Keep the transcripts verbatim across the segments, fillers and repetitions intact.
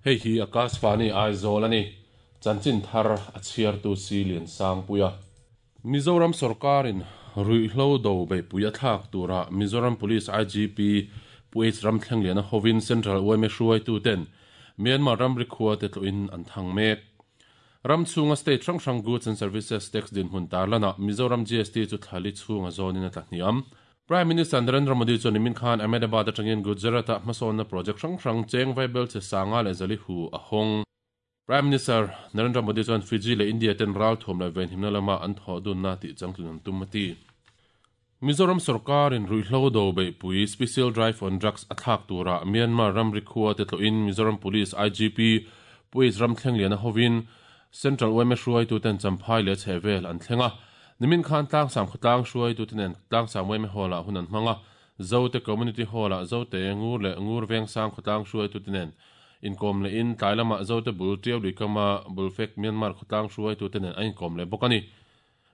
Hei hi Akashvani Aizawl ani. Chanchin thar a chhiartu si lian sang puia. Mizoram sorkarin ruihhlo do beihpui a thlak tura Mizoram Police IGP Pu H Ramthlengliana hovin Central YMA hruaituten Myanmar ramri khua te tlawhin an thang mek. Ram chhunga state hrang hrang goods and services tax dinhmun tarlana Mizoram GST chu thlali chhunga zawnin a tla hniam. Prime Minister Narendra Modi chuan nimin khan Ahmedabad atangin Gujarat-a hmasawnna project hrang hrang cheng vaibel che sanga leh zali hu a hawng. Prime Minister Narendra Modi chuan Fiji leh India ten ral thuam leh venhimna lama an thawh dunna tih changtlun an tum a ti. Mizoram sorkarin ruihhlo do beihpui Special Drive on Drugs a thlak tura Myanmar ramri khua te tlawhin Mizoram Police IGP Pu H Ramthlengliana hovin Central YMA hruaituten Champhai leh chhehvel an thleng a. Nimin khan tlangsam khawtlang hruaitute nen tlangsam YMA hall-ah hun an hmang a. Zote Community Hall-ah Zote Ngur leh Ngur Vengsang khawtlang hruaitute nen inkawm lehin tlai lamah Zote bul Tiau Luikama Bulfek Myanmar khawtlang hruaitute nen an inkawm leh bawk a ni.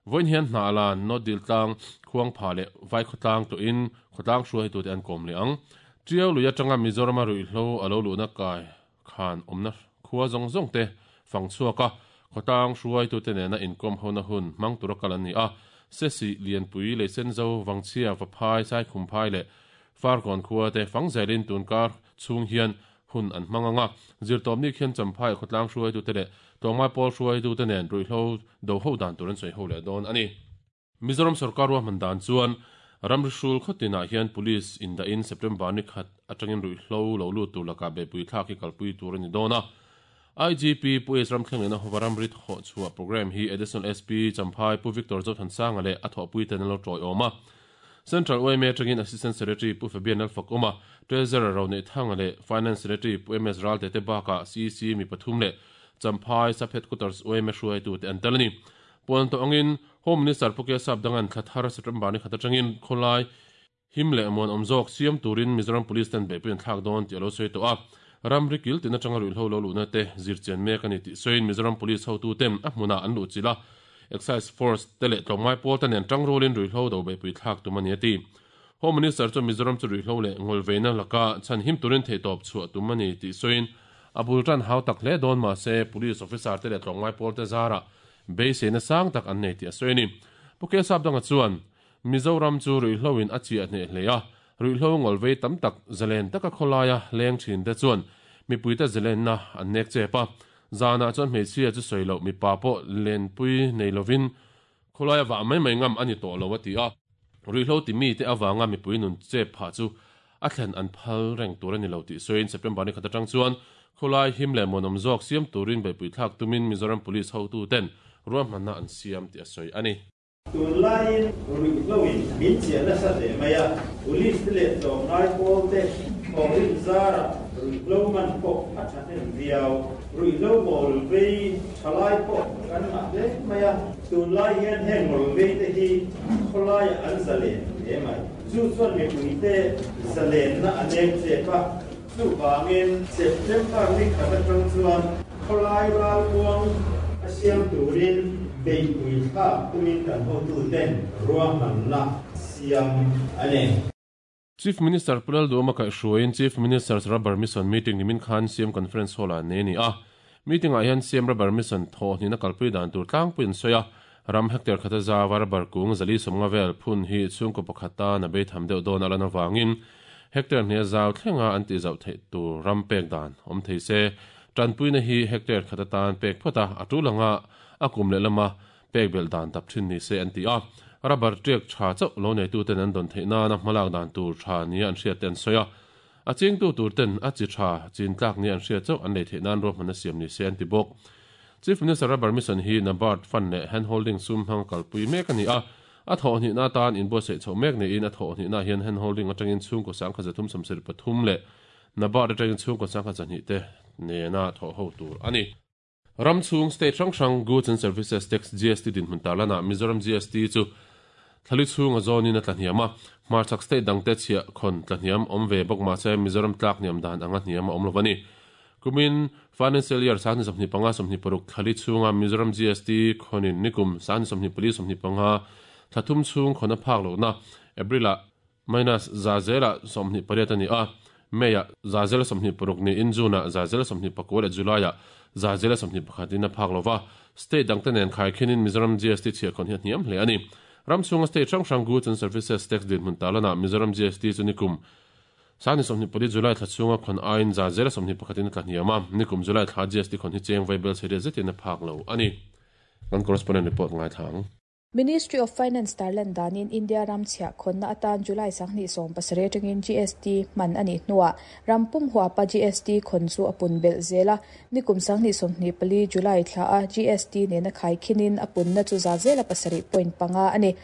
Vawiin hian hnah lan North Dil tlang Khuang pha leh Vai khawtlang tawhin khawtlang hruaitute an kawm leh ang. Tiau lui atanga Mizorama ruihhlo a lo luhna kai khan awmna khua zawng zawng te fang chhuak a, khawtlang hruaitute nena inkawm hona hun hmang tura kal an ni a. Sesi Lianpui Leisenzo Vangchhia Vaphai Saikhumphai leh Farkawn khua te fang zelin tunkar chhung hian hun an hmang anga. Zirtawpni khian Champhai khawtlang hruaitute leh tlawmngai pawl hruaitute nen ruihhlo do ho dan tur an sawi ho leh dawn a ni. Mizoram sorkar ruahman dan chuan ramri hrul khawtinah hian police indahin September ni khat atangin ruihhlo lo lut tur lakah beihpui thlak hi kalpui tur a ni dawn a. IGP Pu H Ramthlengliana hova ramri thawh chhuah program hi Additional SP Champhai Pu Victor Zothansanga leh a thawhpui ten an lo tawiawm a. Central YMA atangin Assistant Secretary Pu Fabian Lalfakawma, Treasurer Roneih Thanga leh Finance Secretary Pu MS Ralte te bakah CEC mi pathum leh Champhai Sub Headquarters YMA hruaitute an tel a ni. Puan tawh angin Home Minister Pu Kesap Dangan thla thar September ni khat atangin khawlai him leh muan awm zawk siam turin Mizoram Police ten beihpui an thlak dawn tih a lo sawi tawh a. Ramri kil tin atanga ruihhlo lo luhna te zirchian mek a ni tih sawiin Mizoram Police hotuten a hmunah an luhchilh a. Excise Force te leh tlawmngai pawl te nen tangrualin ruihhlo do beihpui thlak tum a ni a ti. Home Minister chuan Mizoram chu ruihhlo leh ngawlveina laka chhan him turin theihtawp chhuah tum a ni tih sawiin a bul tan hau tak hle dawn mahse Police officer te leh tlawmngai pawl te zarah beiseina sang tak an nei tih a sawi a ni. Pu Kesap Danga chuan Mizoram chu ruihhlo in a chiah hneh hle a, ruihhlo ngawlvei tam tak zalen taka khawlaia leng thin te chuan mipuite zalenna an nek chep a. Zanah chuan hmeichhia chu sawi loh mipa pawh lenpui nei lovin khawlaia vah mai mai ngam a ni tawh lo a ti a. Ruihhlo ti mite avanga mipui nun chep phah chu a thlen an phal reng tur a ni lo tih sawiin September ni khat atang chuan khawlai him leh muanawm zawk siam turin beihpui thlak tumin Mizoram Police hotuten ruahmanna an siam tih a sawi a ni. Tunlaiin ruihhloin min chiah nasa hle mai a, Police te leh tlawmngai pawl te thawhrim zarah ruihhlo man pawh a thahnem viau. Ruihhlo ngawlvei thalai pawh kan ngah hle mai a, tunlai hian heng ngawlvei te hi khawlaiah an zalen hle mai. Chu chuan mipuite zalenna a nem chep a, chuvangin September ni khat atang chuan khawlai ralmuang a siam turin beihpui thlak tumin kan hotuten ruahmanna siam a ni. Chief Minister Pu Lalduhawma kaihhruaiin Chief Minister's Rubber Mission meeting nimin khan CM Conference Hall-ah nei a ni a. Meeting-ah hian CM Rubber Mission thawhhnihna kalpui dan tur tlangpui an sawi a. Ram hectare khata zava rubber kung zali sawmnga vel phun hi chhungkaw pakhat tan a beitham deuh dawn a lan avangin hectare hnih a zau thlenga an tih zauh theih tur ram pek dan awm thei se. Tanpuina hi hectare khat atan pek phawt a, a tul anga a kum leh lama pek belh dan dap thin ni se an ti a. Rubber tiak tha chauh lo neituten an dawn theih nana hmalak dan tur tha nia an hriat te an sawi a. A chingtu tur ten a chi tha chin tlak nia an hriat chauh an lei theih nan ruahman a siam ni se an ti bawk. Chief Minister Rubber Mission hi NABARD Fund leh Hand Holding sum hmang kalpui mek a ni a. A thawhhnihna atan inbuatsaih chhoh mek niin a thawhhnihna hian Hand Holding atangin chhungkaw sangkhat zathum sawmsarih pathum leh NABARD atangin chhungkaw sangkhat zahnih te nena thawh ho tur a ni. Ram chhung state hrang hrang Goods and Services Tax GST dinhmun tarlanah Mizoram GST chu thlali chhunga zawnin a tla hniam a. Hmarchhak state dangte chhiah khawn tla hniam awm ve bawk mahse Mizoram tlak hniam dan anga hniam a awm lo a ni. Kumin Financial Year sangni sawmhnih panga sawmhnih paruk thlali chhunga Mizoram GST khawnin nikum sangni sawmhnih pali sawmhnih panga thla thum chhung khawn a phak lohna April-ah minus za zelah sawmhnih pariat a ni a. May a za zela sawmhnih paruk niin June ah za zela sawmhnih pakua leh July ah za zela sawmhnih pakhat in a phak lova. State dangte nen khaikhinin Mizoram G S T chhiahkhawn hi a hniam hle a ni. Ram chhunga state hrang hrang goods and services tax dinhmun tarlanah Mizoram G S T chu nikum sangni sawmhnih pali July thla chhunga khawn aiin za zela sawmhnih pakhatin a tla hniam a. Nikum July thla G S T khawn hi cheng vaibel chhe riat zetin a phak lo a ni. Kan correspondent report ngaithla ang. Ministry of Finance tarlan danin India ram chhiah khawnna atan July sanghnih sawm pasarih atangin G S T hman a nih hnuah rampum huapa G S T khawn chu a pun belh zel a. Nikum sanghnih sawmhnih pali July thla a G S T nena khaikhinin a punna chu za zela pasarih point panga a ni.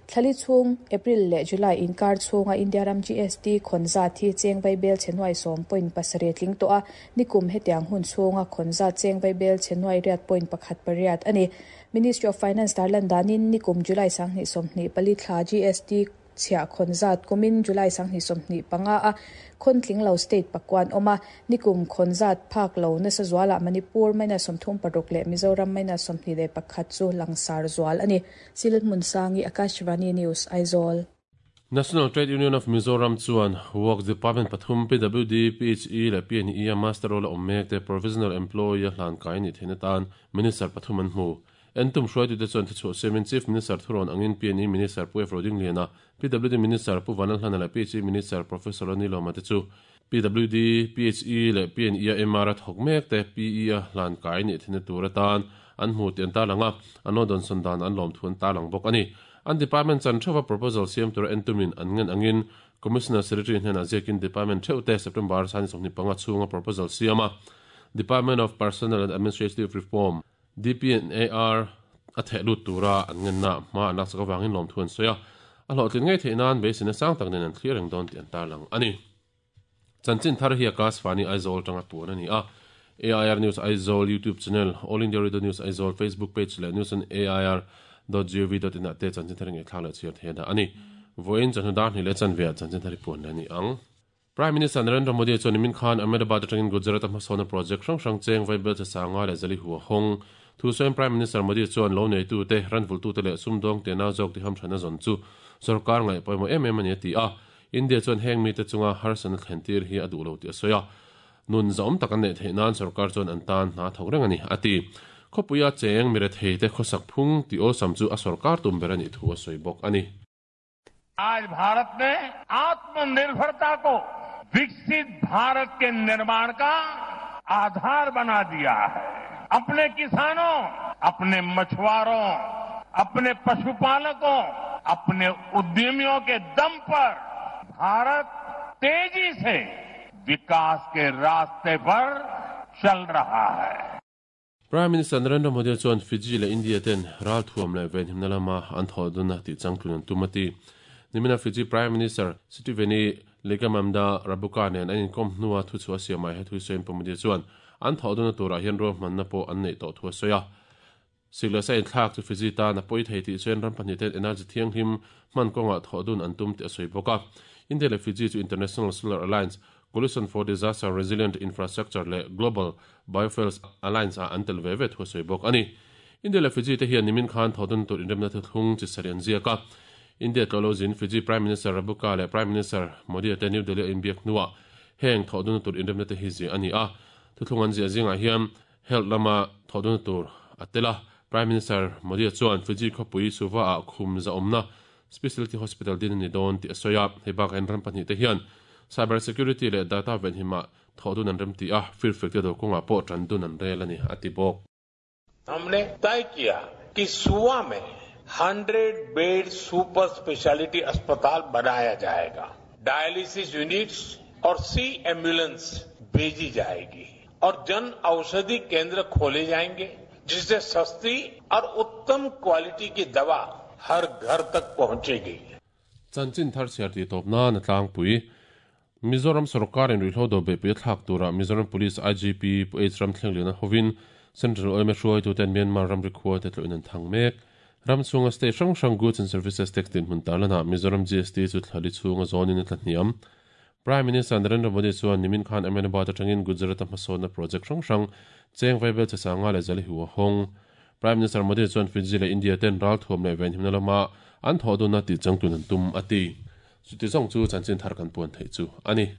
Thlali chhung April leh July inkar chhunga India ram G S T khawn zat hi cheng vaibel chhe nuai sawm point pasarih tling tawh a. Nikum hetiang hun chhunga khawn zat cheng vaibel chhe nuai riat point pakhat pariat a ni. Ministry of Finance tarlan danin nikum July sanghnih sawmhnih pali thla G S T chhiah khawn zat kumin July sanghnih sawmhnih panga a khawn tling lo state pakuan awm a. Nikum khawn zat phak lo nasa zualah Manipur minus sawmthum paruk leh Mizoram minus sawmhnih leh pakhat chu langsar zual a ni. Silhmun Sangi, Akashvani News, Aizawl. National Trade Union of Mizoram chuan Works Department pathum P W D, P H E leh P N E a muster roll a awm mek te provisional employee a hlan kai ni theihna tan Minister pathum an hmu. Entum hruaitute chuan thuchhuah siamin Chief Minister thurawn angin P N E Minister Pu F Rodingliana, P W D Minister Pu Vanlalhlana leh P H E Minister Professor Lalnilawma te chu P W D, P H E leh P N E a M R a thawk mek te P E a hlan kai ni theihna tur atan an hmu tih an tarlang a, an lo dawnsawn dan an lawm thu an tarlang bawk a ni. An department chan theuha proposal siam tura entumin an ngen angin Commissioner Secretary hnenah ziakin department theuh te September sani sawmhnih panga chhunga proposal siam a Department of Personnel and Administrative Reform D P and A R a theh lut tura an ngenna hma an lak sak avangin lawm thu an sawi a. A hlawhtlin ngei theih nan beiseina sang tak nen an thlir reng dawn tih an tarlang a ni. Chanchin thar hi Akashvani Aizawl tanga puan a ni a. A I R News Aizawl YouTube channel, All India Radio News Aizawl Facebook page leh news on A I R dot gov dot in ah te chanchin thar ngei thla leh chhiar theih a dah a ni. Vawiin chawhnu dar hnih leh chanve ah chanchin thar hi puan a ni ang. Prime Minister Narendra Modi chuan nimin khan Ahmedabad atangin Gujarat a hmasawnna project hrang hrang cheng vaibel che sanga leh zali hu a hawng. Thu sawiin Prime Minister Modi chuan lo neitu te, ranvultu te leh sumdawng te nau zawk ti hamthana zawn chu sarkar ngaih pawimawh em em a ni a ti a. India chuan heng mi te chunga harsatna thlen tir hi a duh lo tih a sawi a. Nun zawm tak an neih theih nan sarkar chuan an tan hna thawk reng a ni a ti. Khawpuia cheng mi rethei te khawsak phung ti awlsam chu a sarkar tum ber a nih thu a sawi bawk a ni. आज भारत ने आत्मनिर्भरता को विकसित भारत के निर्माण का आधार बना दिया है। अपने किसानों, अपने मछुआरों, अपने पशुपालकों, अपने उद्यमियों के दम पर भारत तेजी से विकास के रास्ते पर चल रहा है। Prime Minister Narendra Modi chuan Fiji leh India ten ral thuam leh venhimna lama an thawh duna tih changtlun an tum a ti. Nimina Fiji Prime Minister Sitiveni Ligamamda Rabuka nen an inkom hnua thu chu a siamai he thu sawiin Pu Modi chuan an thawh duna turah hian ruahmanna pawh an neih tawh thu a sawi a. Sikla sa inthlak chu Fiji tan a pawi thei tih chuan ram pahnih ten energy thianghlim hman kawngah thawh dun an tum tih a sawi bawk a. India leh Fiji chu International Solar Alliance, Coalition for Disaster Resilient Infrastructure leh Global Biofuels Alliance ah an tel ve ve thu a sawi bawk a ni. India leh Fiji te hian nimin khan thawh dun tur inremna thuthlung chi sarih an ziak a. India tlawh lo zin Fiji Prime Minister Rabuka leh Prime Minister Modi te New Delhi a inbiak hnuah heng thawh dun tur inremna te hi ziah a ni a. Thuthlung an ziah zingah hian health lama thawh dun tur a tel a. Prime Minister Modi chuan Fiji khawpui Suva ah khum za awmna specialty hospital din a ni dawn tih a sawi a. Hei bakah hian ram pahnih te hian cyber security leh data venhimah thawh dun an rem ti a. Firfek te do kawngah pawh tan dun an rel a ni a ti bawk. हमने तय किया कि सुवा में सौ bed super speciality अस्पताल बनाया जाएगा, डायलिसिस यूनिट्स और सी एम्बुलेंस भेजी जाएगी और जन औषधि केंद्र खोले जाएंगे, जिससे सस्ती और उत्तम क्वालिटी की दवा हर घर तक पहुंचेगी। Chanchin thar chhiar tih tawp nan a tlangpui. Mizoram sarkarin ruihhlo do beihpui a thlak turah Mizoram Police I G P Pu H Ramthlengliana hovin Central Y M A hruaitu ten Myanmar ramri khua te tlawhin an thang mek. Ram chhunga state hrang hrang goods and services tax dinhmun tarlanah Mizoram G S T chu thlali chhunga zawnin a tla hniam. Prime Minister Narendra Modi chuan nimin khan Ahmedabad atangin Gujarat a hmasawnna project hrang hrang cheng vaibel che sanga leh zali hu a hawng. Prime Minister Modi chuan Fiji leh India ten ral thuam leh venhimna lama an thawh duna tih changtlun an tum a ti. Chuti zawng chu chanchin thar kan puan theih chu a ni.